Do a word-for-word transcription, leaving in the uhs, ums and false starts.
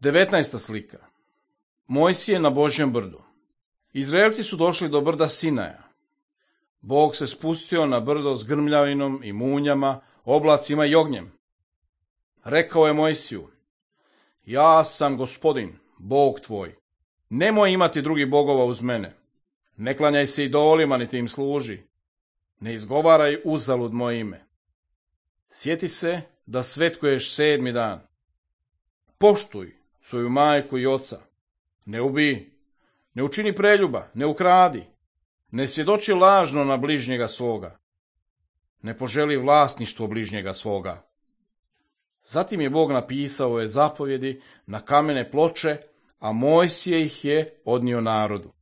devetnaesta slika. Mojsije na Božjem brdu. Izraelci su došli do brda Sinaja. Bog se spustio na brdo s grmljavinom i munjama, oblacima i ognjem. Rekao je Mojsiju: ja sam Gospodin, Bog tvoj. Nemoj imati drugih bogova uz mene. Ne klanjaj se idolima, niti im služi. Ne izgovaraj uzalud moje ime. Sjeti se da svetkuješ sedmi dan. Poštuj svoju majku i oca. Ne ubij, ne učini preljuba, ne ukradi, ne svjedoči lažno na bližnjega svoga. Ne poželi vlasništvo bližnjega svoga. Zatim je Bog napisao ove zapovjedi na kamene ploče, a Mojsije ih je odnio narodu.